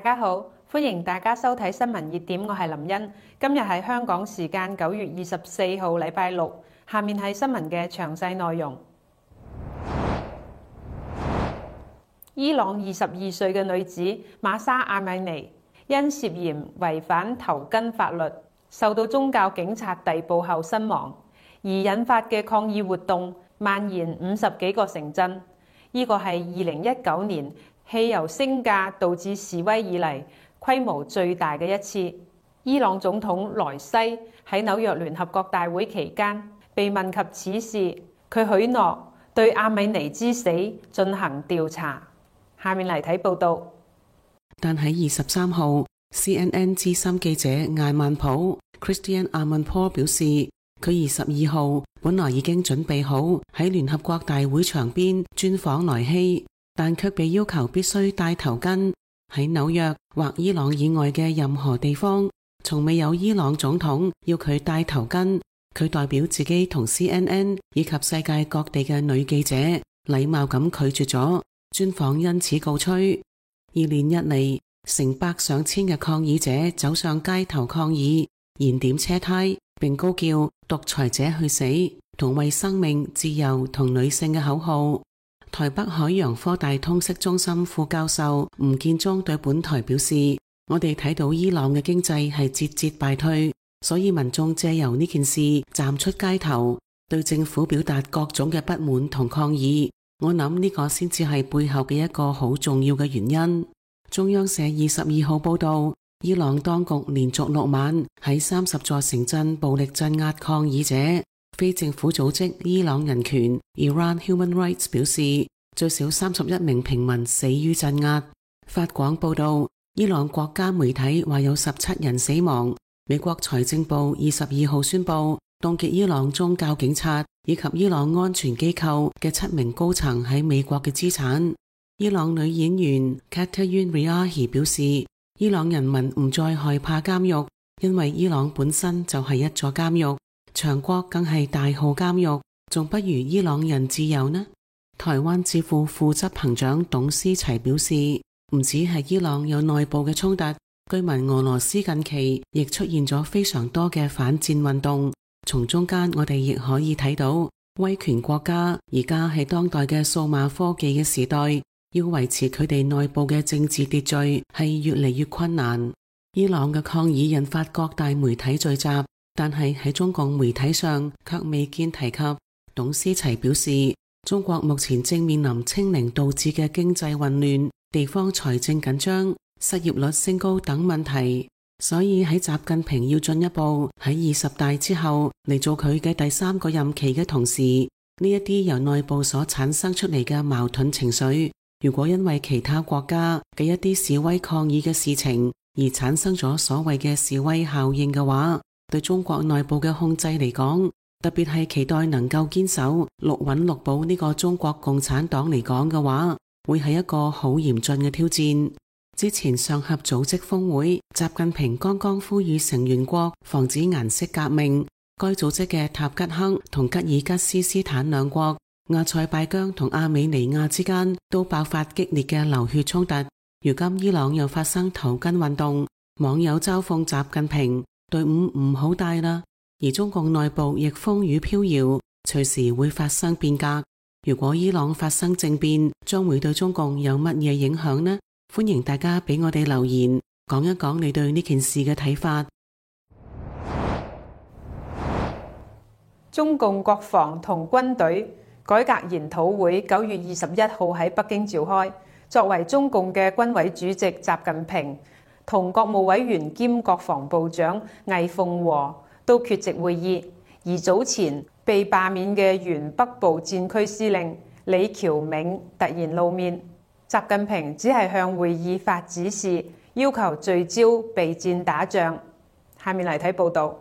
大家好，歡迎大家收睇新聞熱點，我係林茵。今日係香港時間9月24號，禮拜六。下面係新聞嘅詳細內容。伊朗22歲嘅女子瑪莎阿米尼因涉嫌違反頭巾法律，受到宗教警察逮捕後身亡，而引發嘅抗議活動蔓延50幾個城鎮。呢個係2019年汽油升價導致示威以嚟規模最大嘅一次。伊朗總統萊西喺紐約聯合國大會期間被問及此事，佢許諾對阿米尼之死進行調查。下面嚟睇報道。但喺23號 CNN 資深記者艾曼普 Christian Amanpour 表示，佢22號本來已經準備好喺聯合國大會場邊專訪萊希，但卻被要求必須戴頭巾。喺紐約或伊朗以外嘅任何地方，從未有伊朗總統要佢戴頭巾。佢代表自己同 CNN 以及世界各地嘅女記者禮貌咁拒絕咗專訪，因此告吹。而連日嚟，成百上千嘅抗議者走上街頭抗議，燃點車胎，並高叫獨裁者去死同為生命、自由同女性嘅口號。台北海洋科大通識中心副教授吳建中對本台表示，我哋睇到伊朗嘅經濟係節節敗退，所以民眾借由呢件事站出街頭，對政府表達各種嘅不滿同抗議。我諗呢個先至係背後嘅一個好重要嘅原因。中央社22號報道，伊朗當局連續6晚喺30座城鎮暴力鎮壓抗議者。非政府組織伊朗人權 Iran Human Rights 表示，最少31名平民死於鎮壓。法廣報道，伊朗國家媒體話有17人死亡。美國財政部22號宣布凍結伊朗宗教警察以及伊朗安全機構嘅7名高層喺美國嘅資產。伊朗女演員 Katayun Riahi 表示，伊朗人民唔再害怕監獄，因為伊朗本身就係一座監獄，長國更係大號監獄，仲不如伊朗人自由呢？台灣智庫副執行長董思齊表示，唔止係伊朗有內部嘅衝突，據聞俄羅斯近期亦出現咗非常多嘅反戰運動。從中間我哋亦可以睇到，威權國家而家係當代嘅數碼科技嘅時代，要維持佢哋內部嘅政治秩序係越嚟越困難。伊朗嘅抗議引發各大媒體聚集，但係喺中共媒體上卻未見提及。董思齊表示，中國目前正面臨清零導致嘅經濟混亂、地方財政緊張、失業率升高等問題，所以喺習近平要進一步喺20大之後嚟做佢嘅第3個任期嘅同時，呢一啲由內部所產生出嚟嘅矛盾情緒，如果因為其他國家嘅一啲示威抗議嘅事情而產生咗所謂嘅示威效應嘅話，對中國內部嘅控制嚟講，特別係期待能夠堅守六穩六保呢個中國共產黨嚟講嘅話，會係一個好嚴峻嘅挑戰。之前上合組織峰會，習近平剛剛呼籲成員國防止顏色革命，該組織嘅塔吉克同吉爾吉斯斯坦兩國、阿塞拜疆同阿美尼亞之間都爆發激烈嘅流血衝突。如今伊朗又發生頭巾運動，網友嘲諷習近平隊伍唔好帶啦。而中共內部亦風雨飄搖，隨時會發生變革。如果伊朗發生政變，將會對中共有乜嘢影響呢？歡迎大家俾我哋留言，講一講你對呢件事嘅睇法。中共國防同軍隊改革研討會9月21號喺北京召開，作為中共嘅軍委主席習近平同國務委員兼國防部長魏鳳和都缺席會議。而早前被罷免嘅原北部戰區司令李喬銘突然露面，習近平只係向會議發指示，要求聚焦備戰打仗。下面嚟睇報道。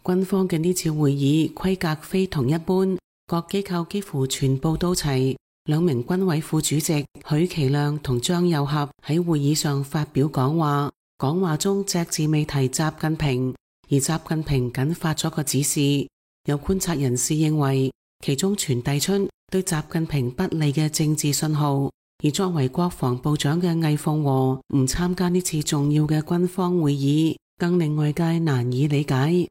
軍方嘅呢次會議規格非同一般，各機構幾乎全部都齊。2名軍委副主席許其亮同張又俠喺會議上發表講話，講話中隻字未提習近平，而習近平僅發咗個指示。有觀察人士認為，其中傳遞出對習近平不利嘅政治信號。而作為國防部長嘅魏鳳和唔參加呢次重要嘅軍方會議，更令外界難以理解。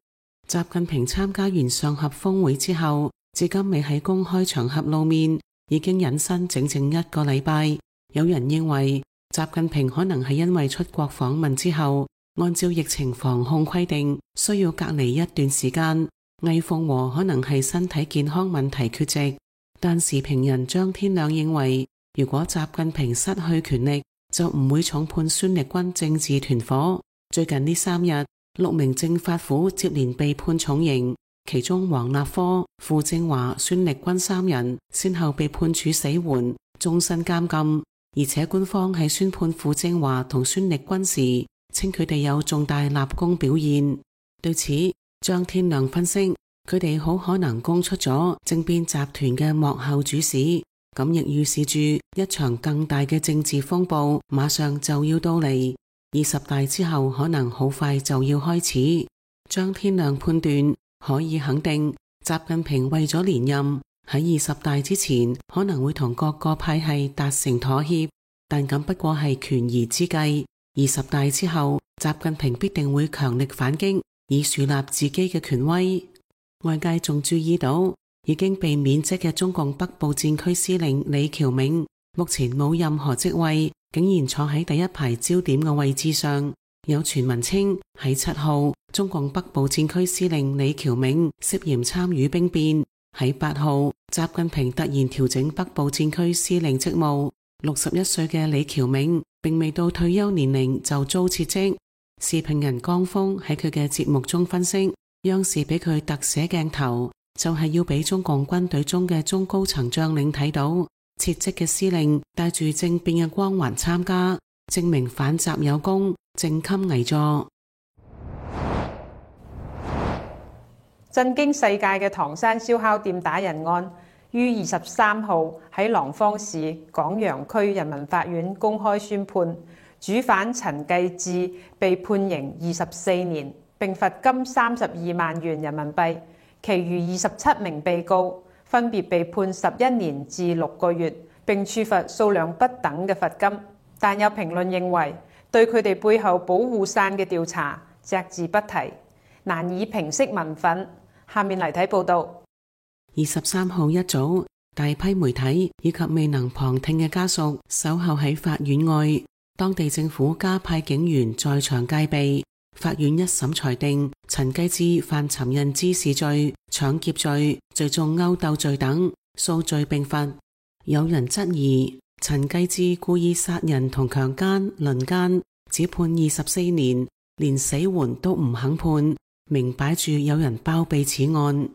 習近平參加完上合峰會之後，至今未喺公開場合露面，已經隱身整整1個禮拜。有人認為習近平可能係因為出國訪問之後，按照疫情防控規定需要隔離一段時間。魏鳳和可能係身體健康問題缺席。但時評人張天亮認為，如果習近平失去權力，就唔會重判孫力軍政治團伙。最近呢3日，6名政法府接連被判重刑，其中王立科、傅政華、孫力軍3人先後被判處死緩、終身監禁。而且官方喺宣判傅政華同孫力軍時，稱佢哋有重大立功表現。對此，張天亮分析，佢哋好可能供出咗政變集團嘅幕後主使，咁亦預示住一場更大嘅政治風暴馬上就要到嚟。20大之後可能好快就要開始。張天亮判斷可以肯定，習近平為咗連任，喺20大之前可能會同各個派系達成妥協，但咁不過係權宜之計。20大之後，習近平必定會強力反擊，以樹立自己嘅權威。外界仲注意到，已經被免職嘅中共北部戰區司令李喬銘，目前冇任何職位，竟然坐喺第一排焦點嘅位置上。有傳聞稱喺7號，中共北部戰區司令李喬銘涉嫌參與兵變。喺8號，習近平突然調整北部戰區司令職務。61歲嘅李喬銘並未到退休年齡就遭撤職。時評人江峰喺佢嘅節目中分析，央視俾佢特寫鏡頭，就係要俾中共軍隊中嘅中高層將領睇到，撤職嘅司令帶住政變嘅光環參加，證明反習有功，正襟危坐。震驚世界嘅唐山燒烤店打人案，於23號喺廊坊市廣陽區人民法院公開宣判，主犯陳繼志被判刑24年，並罰金32萬元人民幣。其餘27名被告分別被判11年至6個月，並處罰數量不等嘅罰金。但有評論認為，對佢哋背後保護傘嘅調查隻字不提，難以平息民憤。下面嚟睇報道。23號一早，大批媒體以及未能旁聽嘅家屬守候喺法院外，當地政府加派警員在場戒備。法院一審裁定陳繼志犯尋釁滋事罪、搶劫罪、聚眾毆鬥罪等，數罪並罰。有人質疑陳繼志故意殺人同強姦、輪姦，只判24年，連死緩都唔肯判，明擺住有人包庇此案。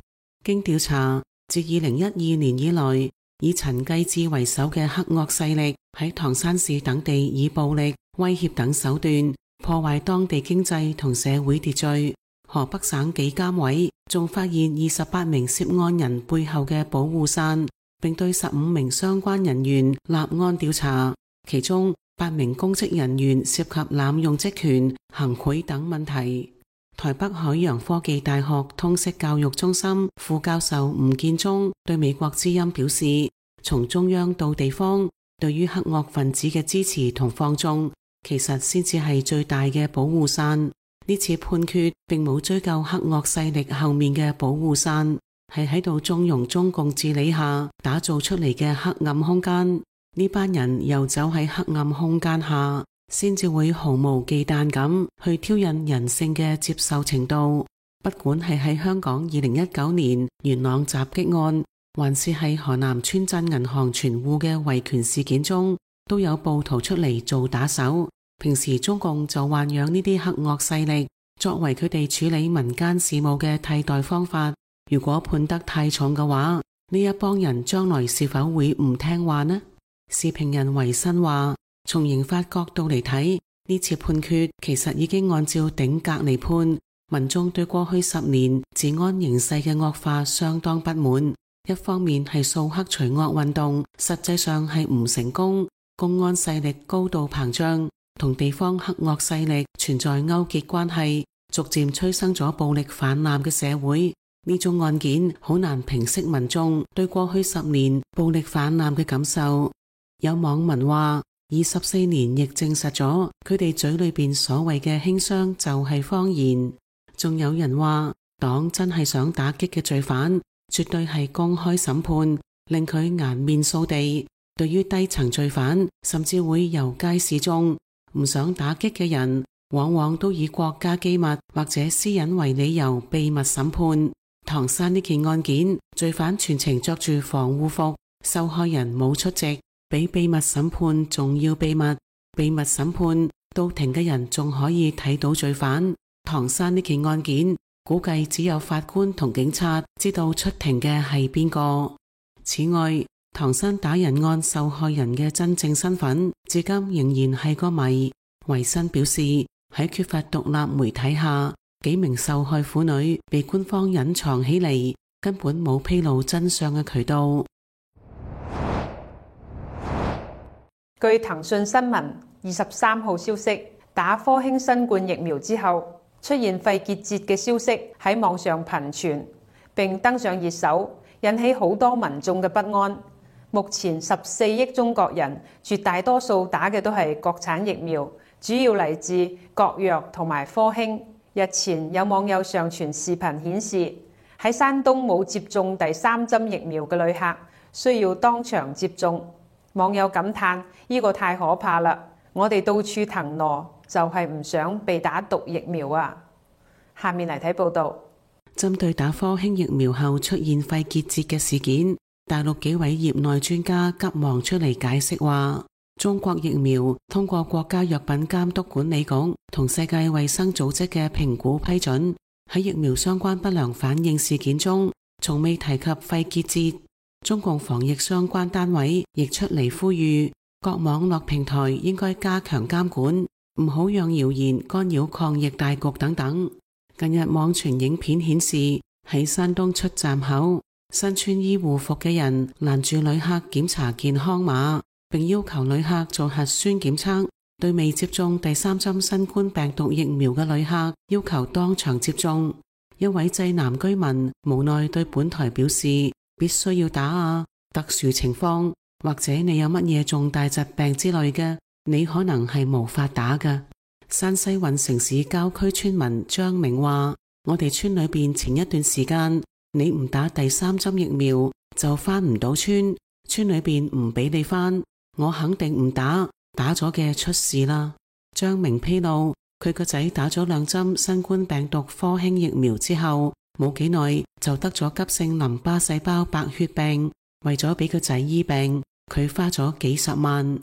經調查，自2012年以來，以陳繼志為首嘅黑惡勢力喺唐山市等地以暴力、威脅等手段破壞當地經濟同社會秩序。河北省紀監委仲發現28名涉案人背後嘅保護傘，並對15名相關人員立案調查，其中8名公職人員涉及濫用職權、行賄等問題。台北海洋科技大學通識教育中心副教授吳建中對美國之音表示，從中央到地方，對於黑惡分子嘅支持同放縱，其實先至係最大嘅保護傘。呢次判決並冇追究黑惡勢力後面嘅保護傘，係喺度縱容中共治理下打造出嚟嘅黑暗空間。呢班人遊走喺黑暗空間下，先至會毫無忌憚咁去挑釁人性嘅接受程度。不管係喺香港2019年元朗襲擊案，還是係河南村鎮銀行存戶嘅維權事件中，都有暴徒出嚟做打手。平時中共就豢養呢啲黑惡勢力，作為佢哋處理民間事務嘅替代方法。如果判得太重嘅話，呢一幫人將來是否會唔聽話呢？時評人維新話，從刑法角度嚟睇，呢次判決其實已經按照頂格嚟判。民眾對過去10年治安形勢嘅惡化相當不滿，一方面係掃黑除惡運動實際上係唔成功，公安勢力高度膨脹，同地方黑惡勢力存在勾結關係，逐漸催生咗暴力泛濫嘅社會。呢種案件好難平息民眾對過去10年暴力泛濫嘅感受。有網民話24年亦證實咗佢哋嘴裏邊所謂嘅輕傷就係謊言。仲有人話黨真係想打擊嘅罪犯，絕對係公開審判，令佢顏面掃地。對於低層罪犯，甚至會遊街示眾。唔想打擊嘅人，往往都以國家機密或者私隱為理由秘密審判。唐山呢件案件，罪犯全程着住防護服，受害人冇出席，比秘密審判仲要秘密。秘密審判到庭嘅人仲可以睇到罪犯。唐山呢件案件，估計只有法官同警察知道出庭嘅係邊個。此外，唐山打人案受害人嘅真正身份，至今仍然係個謎。維新表示，喺缺乏獨立媒體下，幾名受害婦女被官方隱藏起嚟，根本冇披露真相嘅渠道。據騰訊新聞23號消息，打科興新冠疫苗之後，出現肺結節嘅消息喺網上頻傳，並登上熱搜，引起好多民眾嘅不安。目前14億中國人，絕大多數打嘅都係國產疫苗，主要嚟自國藥同埋科興。日前有網友上傳視頻顯示，喺山東冇接種第3針疫苗嘅旅客需要當場接種。網友感嘆：呢個太可怕啦！我哋到處騰挪，就係唔想被打毒疫苗啊！下面嚟睇報道。針對打科興疫苗後出現肺結節嘅事件，大陸幾位業內專家急忙出嚟解釋話，中國疫苗通過國家藥品監督管理局同世界衛生組織嘅評估批准，喺疫苗相關不良反應事件中，從未提及肺結節。中共防疫相關單位亦出嚟呼籲，各網絡平台應該加強監管，唔好讓謠言干擾抗疫大局等等。近日網傳影片顯示，喺山東出站口，身穿醫護服嘅人攔住旅客檢查健康碼，並要求旅客做核酸檢測。對未接種第3針新冠病毒疫苗嘅旅客，要求當場接種。一位濟南居民無奈對本台表示，必須要打啊！特殊情況或者你有乜嘢重大疾病之類嘅，你可能係無法打㗎。山西運城市郊區村民張明話，我哋村裏邊前一段時間，你唔打第3針疫苗就返唔到村，村裏邊唔俾你返，我肯定唔打，打咗嘅出事啦。張明披露，佢個仔打咗2針新冠病毒科興疫苗之後，冇幾耐就得咗急性淋巴細胞白血病，為咗俾個仔醫病，佢花咗幾十萬。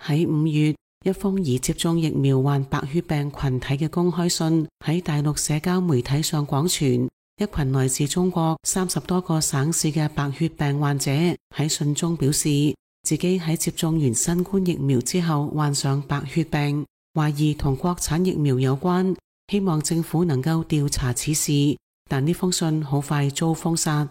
喺5月，一封已接種疫苗患白血病群體嘅公開信喺大陸社交媒體上廣傳。一群來自中國30多個省市嘅白血病患者喺信中表示，自己喺接種完新冠疫苗之後患上白血病，懷疑同國產疫苗有關，希望政府能夠調查此事。但呢封信好快遭封殺。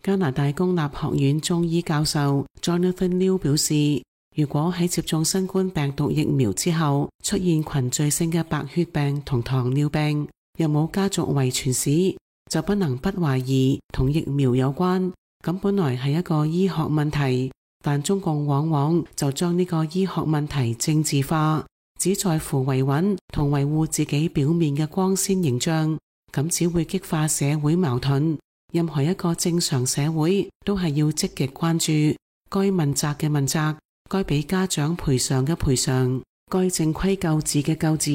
加拿大公立學院中醫教授 Jonathan Liu 表示，如果喺接種新冠病毒疫苗之後出現群聚性嘅白血病同糖尿病，又冇家族遺傳史，就不能不懷疑同疫苗有關。咁本來係一個醫學問題，但中共往往就將呢個醫學問題政治化，只在乎維穩同維護自己表面嘅光鮮形象，咁只會激化社會矛盾。任何一個正常社會都係要積極關注，該問責嘅問責，該俾家長賠償嘅賠償，該正規救治嘅救治，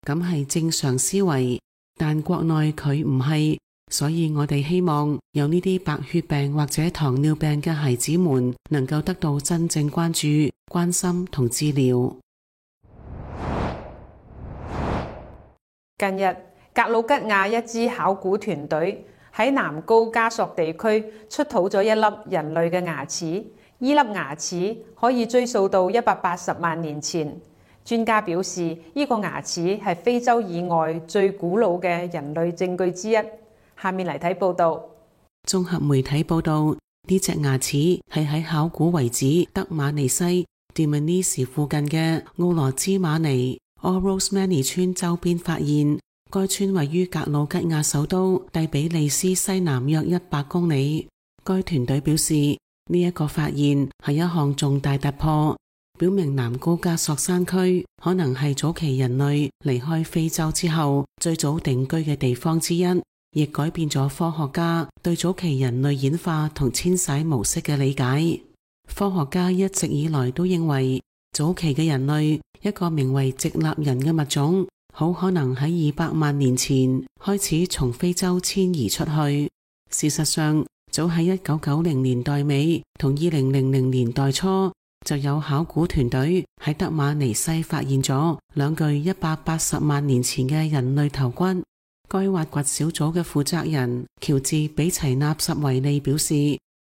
咁係正常思維。但國內佢唔係，所以我哋希望有呢啲白血病或者糖尿病嘅孩子們能夠得到真正關注、關心同治療。近日，格魯吉亞一支考古團隊喺南高加索地區出土咗一粒人類嘅牙齒，呢粒牙齒可以追溯到180萬年前。專家表示，呢個牙齒係非洲以外最古老嘅人類證據之一。下面嚟睇報道。綜合媒體報道，呢隻牙齒係喺考古遺址德馬尼西 Dmanisi 附近嘅奧羅茲馬尼 Orosmani 村周邊發現。該村位於格魯吉亞首都蒂比利斯西南約100公里。該團隊表示，呢一個發現係一項重大突破，表明南高加索山區可能係早期人類離開非洲之後最早定居嘅地方之一，亦改變咗科學家對早期人類演化同遷徙模式嘅理解。科學家一直以來都認為，早期嘅人類，一個名為直立人嘅物種，好可能喺200萬年前開始從非洲遷移出去。事實上，早喺1990年代尾同2000年代初，就有考古團隊喺德馬尼西發現咗兩具180萬年前嘅人類頭骨。該挖掘小組嘅負責人喬治比齊納什維利表示，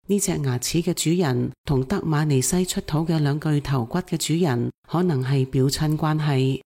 呢隻牙齒嘅主人同德馬尼西出土嘅兩具頭骨嘅主人可能係表親關係。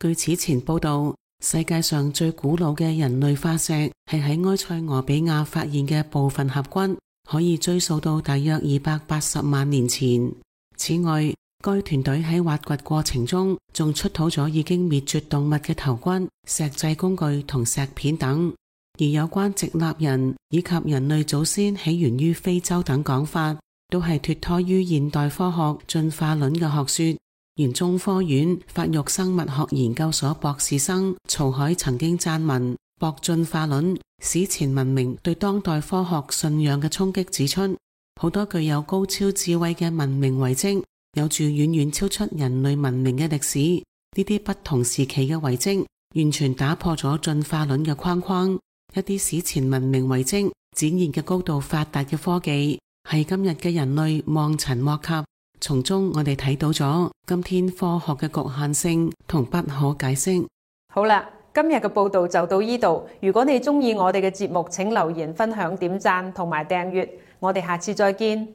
據此前報道，世界上最古老嘅人類化石係喺埃塞俄比亞發現嘅部分頜骨，可以追溯到大約280萬年前。此外，該團隊喺挖掘過程中仲出土咗已經滅絕動物嘅頭骨、石製工具同石片等。而有關直立人以及人類祖先起源於非洲等講法，都係脫胎於現代科學進化論嘅學說。原中科院發育生物學研究所博士生曹海曾經撰文駁進化論史前文明對當代科學信仰嘅衝擊，指出好多具有高超智慧嘅文明遺跡有住遠遠超出人類文明嘅歷史。呢啲不同時期嘅遺跡完全打破咗進化論嘅框框。一啲史前文明遺跡展現嘅高度發達嘅科技，係今日嘅人類望塵莫及。從中我哋睇到咗今天科學嘅局限性同不可解釋。好啦，今日嘅報道就到呢度。如果你鍾意我哋嘅節目，請留言、分享、點讚同埋訂閱。我哋下次再見。